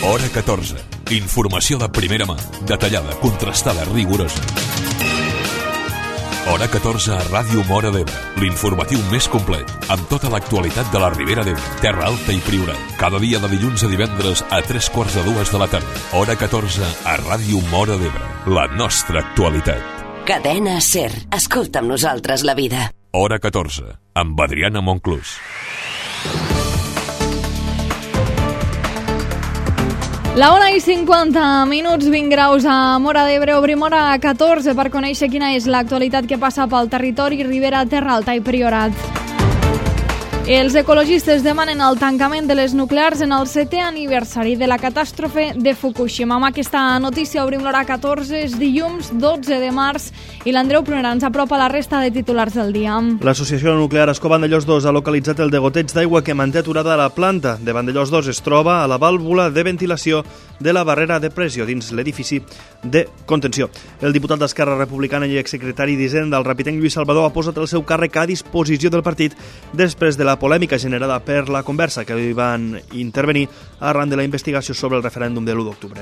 Hora 14. Informació de primera mà, detallada, contrastada, rigorosa. Hora 14 a Ràdio Móra d'Ebre, l'informatiu més complet, amb tota l'actualitat de la Ribera d'Ebre, Terra Alta i Priorat. Cada dia de dilluns a divendres a 3:45 de la tarda. Hora 14 a Ràdio Móra d'Ebre, la nostra actualitat. Cadena SER. Escolta amb nosaltres la vida. Hora 14, amb Adriana Monclús. La 1:50, 20 graus a Móra d'Ebre. Obrim hora 14 per conèixer quina és l'actualitat que passa pel territori Ribera, Terra Alta i Priorat. Els ecologistes demanen el tancament de les nuclears en el 7è aniversari de la catàstrofe de Fukushima. Amb aquesta notícia obrim l'hora 14, és dilluns 12 de març i l'Andreu Prunera ens apropa la resta de titulars del dia. L'Associació Nuclear Ascó Vandellòs 2 ha localitzat el degoteig d'aigua que manté aturada la planta de Vandellòs 2. Es troba a la vàlvula de ventilació de la barrera de pressió dins l'edifici de contenció. El diputat d'Esquerra Republicana i exsecretari d'Hisenda, el rapitenc Lluís Salvador, ha posat el seu càrrec a disposició del partit després de la polèmica generada per la conversa que hi van intervenir arran de la investigació sobre el referèndum de l'1 d'octubre.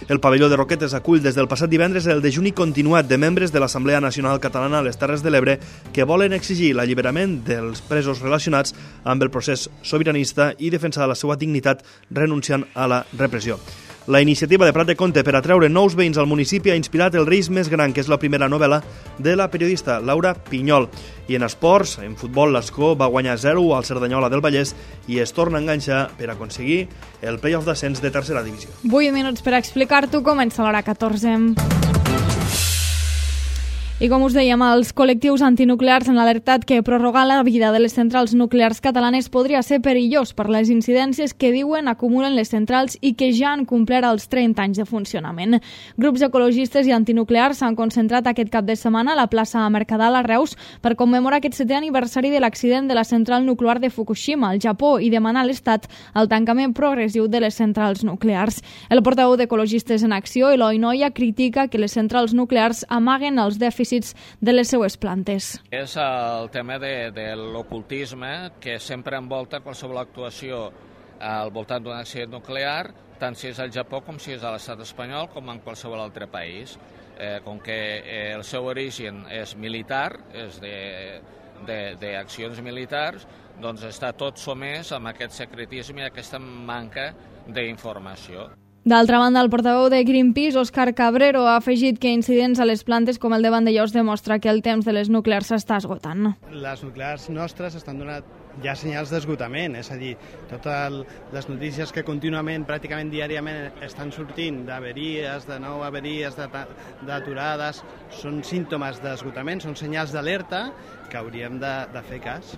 El pavelló de Roquetes acull des del passat divendres el dejuni continuat de membres de l'Assemblea Nacional Catalana a les Terres de l'Ebre que volen exigir l'alliberament dels presos relacionats amb el procés sobiranista i defensar la seva dignitat renunciant a la repressió. La iniciativa de Prat de Comte per atreure nous veïns al municipi ha inspirat El risc més gran, que és la primera novel·la de la periodista Laura Pinyol. I en esports, en futbol, l'Ascó va guanyar 0 al Cerdanyola del Vallès i es torna a enganxar per aconseguir el play-off d'ascens de tercera divisió. 8 minuts per explicar-t'ho, comença l'hora 14. I com us dèiem, els col·lectius antinuclears han alertat que prorrogar la vida de les centrals nuclears catalanes podria ser perillós per les incidències que diuen acumulen les centrals i que ja han complert els 30 anys de funcionament. Grups ecologistes i antinuclears s'han concentrat aquest cap de setmana a la plaça Mercadal a Reus per commemorar aquest 7è aniversari de l'accident de la central nuclear de Fukushima, al Japó, i demanar a l'Estat el tancament progressiu de les centrals nuclears. El portaveu d'Ecologistes en Acció, Eloi Noia, critica que les centrals nuclears amaguen els dèficits de les seues plantes. És el tema de l'ocultisme que sempre envolta qualsevol actuació al voltant d'un accident nuclear, tant si és al Japó com si és a l'estat espanyol com en qualsevol altre país. Com que el seu origen és militar, és d'accions militars, doncs està tot somès amb aquest secretisme i aquesta manca d'informació. D'altra banda, el portaveu de Greenpeace, Òscar Cabrero, ha afegit que incidents a les plantes com el de Vandellòs demostra que el temps de les nuclears s'està esgotant. Les nuclears nostres estan donant ja senyals d'esgotament, és a dir, totes les notícies que contínuament, pràcticament diàriament, estan sortint d'averies, de nou averies, d'aturades, són símptomes d'esgotament, són senyals d'alerta que hauríem de fer cas.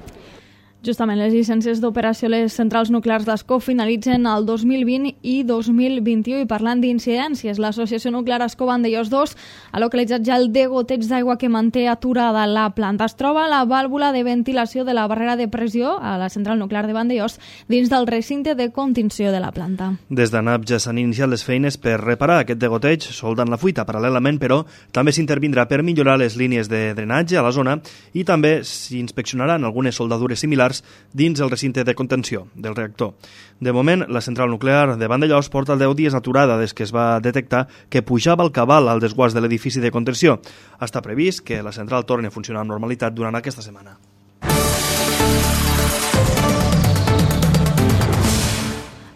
Justament, les llicències d'operació a les centrals nuclears d'Ascó finalitzen el 2020 i 2021 i parlant d'incidències, l'Associació Nuclear Ascó Vandellòs 2 ha localitzat ja el degoteig d'aigua que manté aturada la planta. Es troba a la vàlvula de ventilació de la barrera de pressió a la central nuclear de Vandellòs dins del recinte de contenció de la planta. Des d'ANAP ja s'han iniciat les feines per reparar aquest degoteig, soldant la fuita paral·lelament, però també s'intervindrà per millorar les línies de drenatge a la zona i també s'inspeccionaran algunes soldadures similars dins el recinte de contenció del reactor. De moment, la central nuclear de Vandellòs porta 10 dies aturada des que es va detectar que pujava el cabal al desguàs de l'edifici de contenció. Està previst que la central torni a funcionar amb normalitat durant aquesta setmana.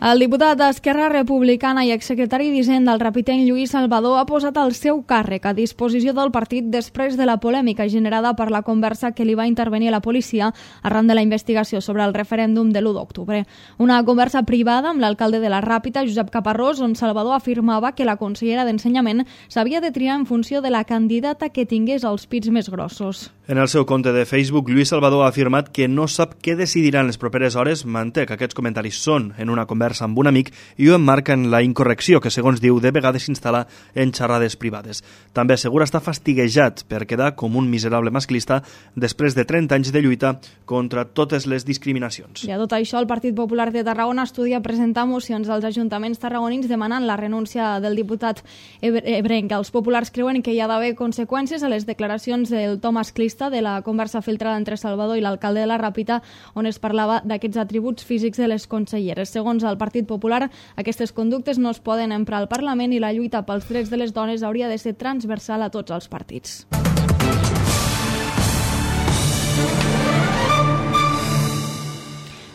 El diputat d'Esquerra Republicana i exsecretari d'Hisenda, el rapitenc Lluís Salvador, ha posat el seu càrrec a disposició del partit després de la polèmica generada per la conversa que li va intervenir a la policia arran de la investigació sobre el referèndum de l'1 d'octubre. Una conversa privada amb l'alcalde de la Ràpita, Josep Caparrós, on Salvador afirmava que la consellera d'Ensenyament s'havia de triar en funció de la candidata que tingués els pits més grossos. En el seu compte de Facebook, Lluís Salvador ha afirmat que no sap què decidiran les properes hores, manté que aquests comentaris són en una conversa amb un amic i ho emmarca en la incorrecció que, segons diu, de vegades s'instal·la en xerrades privades. També assegura estar fastiguejat per quedar com un miserable masclista després de 30 anys de lluita contra totes les discriminacions. I a tot això, el Partit Popular de Tarragona estudia presentar mocions als ajuntaments tarragonins demanant la renúncia del diputat ebrenc. Els populars creuen que hi ha d'haver conseqüències a les declaracions del to masclista de la conversa filtrada entre Salvador i l'alcalde de la Ràpita, on es parlava d'aquests atributs físics de les conselleres. Segons el al Partit Popular, aquestes conductes no es poden emprar al Parlament i la lluita pels drets de les dones hauria de ser transversal a tots els partits.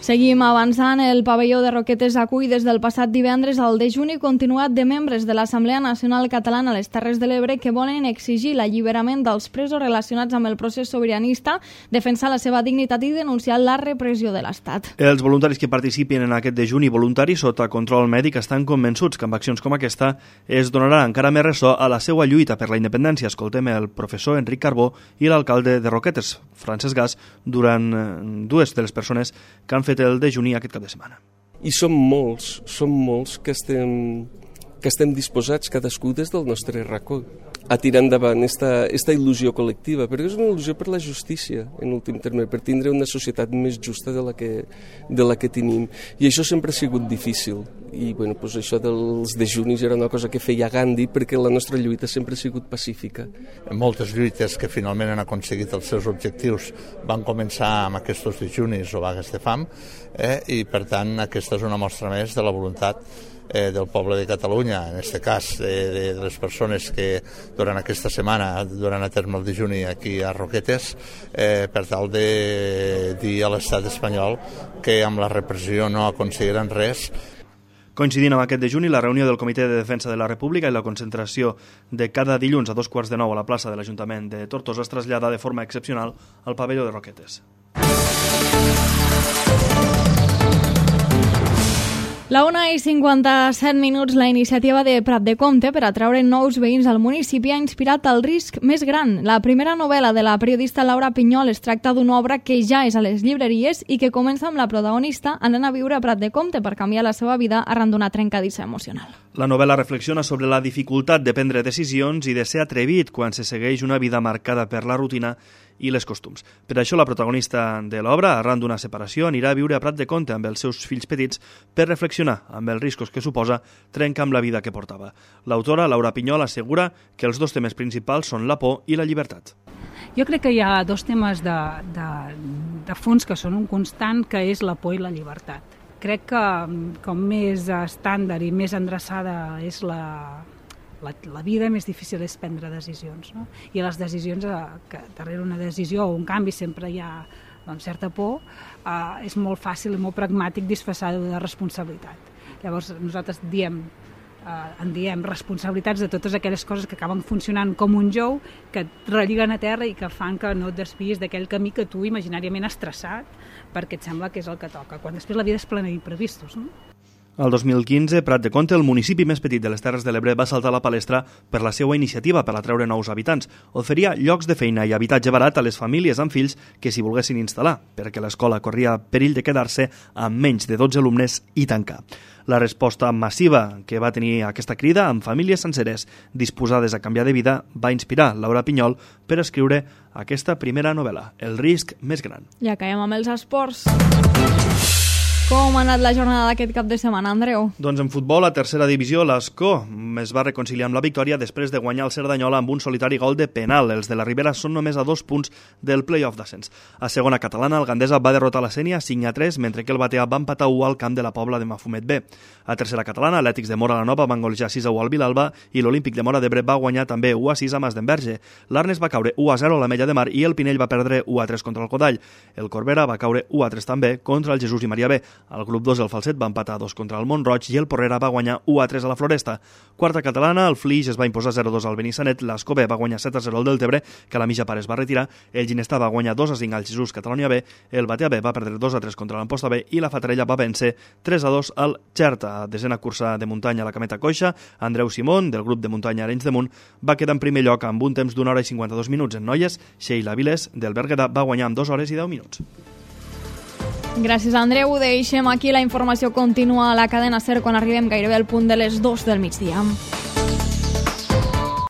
Seguim avançant. El pavelló de Roquetes acull des del passat divendres el dejuni continuat de membres de l'Assemblea Nacional Catalana a les Terres de l'Ebre que volen exigir l'alliberament dels presos relacionats amb el procés sobiranista, defensar la seva dignitat i denunciar la repressió de l'Estat. Els voluntaris que participin en aquest dejuni voluntari sota control mèdic estan convençuts que amb accions com aquesta es donarà encara més ressò a la seva lluita per la independència. Escoltem el professor Enric Carbó i l'alcalde de Roquetes, Francesc Gas, durant dues de les persones que han fet el dejuni aquest cap de setmana. I som molts que estem disposats, cadascú des del nostre racó, a tirar endavant esta il·lusió col·lectiva, perquè és una il·lusió per la justícia, en últim terme, per tindre una societat més justa de la que tenim. I això sempre ha sigut difícil. I bueno, doncs això dels dejunis era una cosa que feia Gandhi, perquè la nostra lluita sempre ha sigut pacífica. Moltes lluites que finalment han aconseguit els seus objectius van començar amb aquests dejunis o vagues de fam, i per tant aquesta és una mostra més de la voluntat del poble de Catalunya, en aquest cas de les persones que durant aquesta setmana duran a terme el dejuni aquí a Roquetes, per tal de dir a l'estat espanyol que amb la repressió no aconseguiran res. Coincidint amb aquest dejuni, la reunió del Comitè de Defensa de la República i la concentració de cada dilluns a 2:15 a la plaça de l'Ajuntament de Tortosa es trasllada de forma excepcional al pavelló de Roquetes. La 1:57, la iniciativa de Prat de Comte per atraure nous veïns al municipi ha inspirat El risc més gran. La primera novel·la de la periodista Laura Pinyol es tracta d'una obra que ja és a les llibreries i que comença amb la protagonista anant a viure a Prat de Comte per canviar la seva vida arran d'una trencadissa emocional. La novel·la reflexiona sobre la dificultat de prendre decisions i de ser atrevit quan se segueix una vida marcada per la rutina i les costums. Per això la protagonista de l'obra, arran d'una separació, anirà a viure a Prat de Comte amb els seus fills petits per reflexionar amb els riscos que suposa trencar amb la vida que portava. L'autora, Laura Pinyol, assegura que els dos temes principals són la por i la llibertat. Jo crec que hi ha dos temes de fons que són un constant, que és la por i la llibertat. Crec que com més estàndard i més endreçada és la vida, més difícil és prendre decisions, no? I les decisions, que darrere una decisió o un canvi sempre hi ha certa por, és molt fàcil i molt pragmàtic disfressar-ho de responsabilitat. Llavors nosaltres en diem responsabilitats de totes aquelles coses que acaben funcionant com un jou, que et relliguen a terra i que fan que no et desviïs d'aquell camí que tu imaginàriament has traçat perquè et sembla que és el que toca, quan després la vida és plena d'imprevistos, no? El 2015, Prat de Comte, el municipi més petit de les Terres de l'Ebre, va saltar a la palestra per la seva iniciativa per atraure nous habitants. Oferia llocs de feina i habitatge barat a les famílies amb fills que s'hi volguessin instal·lar, perquè l'escola corria perill de quedar-se amb menys de 12 alumnes i tancar. La resposta massiva que va tenir aquesta crida amb famílies senceres disposades a canviar de vida va inspirar Laura Pinyol per escriure aquesta primera novel·la, El risc més gran. Ja caiem amb els esports. Com ha anat la jornada d'aquest cap de setmana, Andreu? Doncs en futbol, a tercera divisió, l'Escó es va reconciliar amb la victòria després de guanyar el Cerdanyola amb un solitari gol de penal. Els de la Ribera són només a 2 punts del play-off d'ascens. A segona catalana, el Gandesa va derrotar la Sénia 5-3, mentre que el Batea va empatar 1 al camp de la Pobla de Mafumet B. A tercera catalana, l'Atlètics de Móra la Nova van golejar 6-1 al Vilalba i l'Olímpic de Móra d'Ebre va guanyar també 1-6 a Masdenverge. L'Arnes va caure 1-0 a l'Ametlla de Mar i el Pinell va perdre 1-3 contra el Codall. El Corbera va caure 1-3 també contra el Jesús i Maria B. El grup 2 del Falset va empatar 2 contra el Montroig i el Porrera va guanyar 1-3 a la Floresta. Quarta catalana, el Flix es va imposar 0-2 al Benissanet, l'Escó B va guanyar 7-0 al Deltebre, que la Mitja Pare es va retirar, el Ginestà va guanyar 2-5 al Jesús Catalunya B, el Batea B va perdre 2-3 contra l'Amposta B i la Fatarella va vèncer 3-2 al Xerta. Desena cursa de muntanya a la Cameta Coixa, Andreu Simón, del grup de muntanya Arenys de Munt, va quedar en primer lloc amb un temps d'1 hora i 52 minuts. En noies, Sheila Viles, del Berguedà, va guanyar amb 2 hores i 10 minuts. Gràcies, Andreu. Deixem aquí la informació continua a la cadena SER quan arribem gairebé al punt de les 2 del migdia.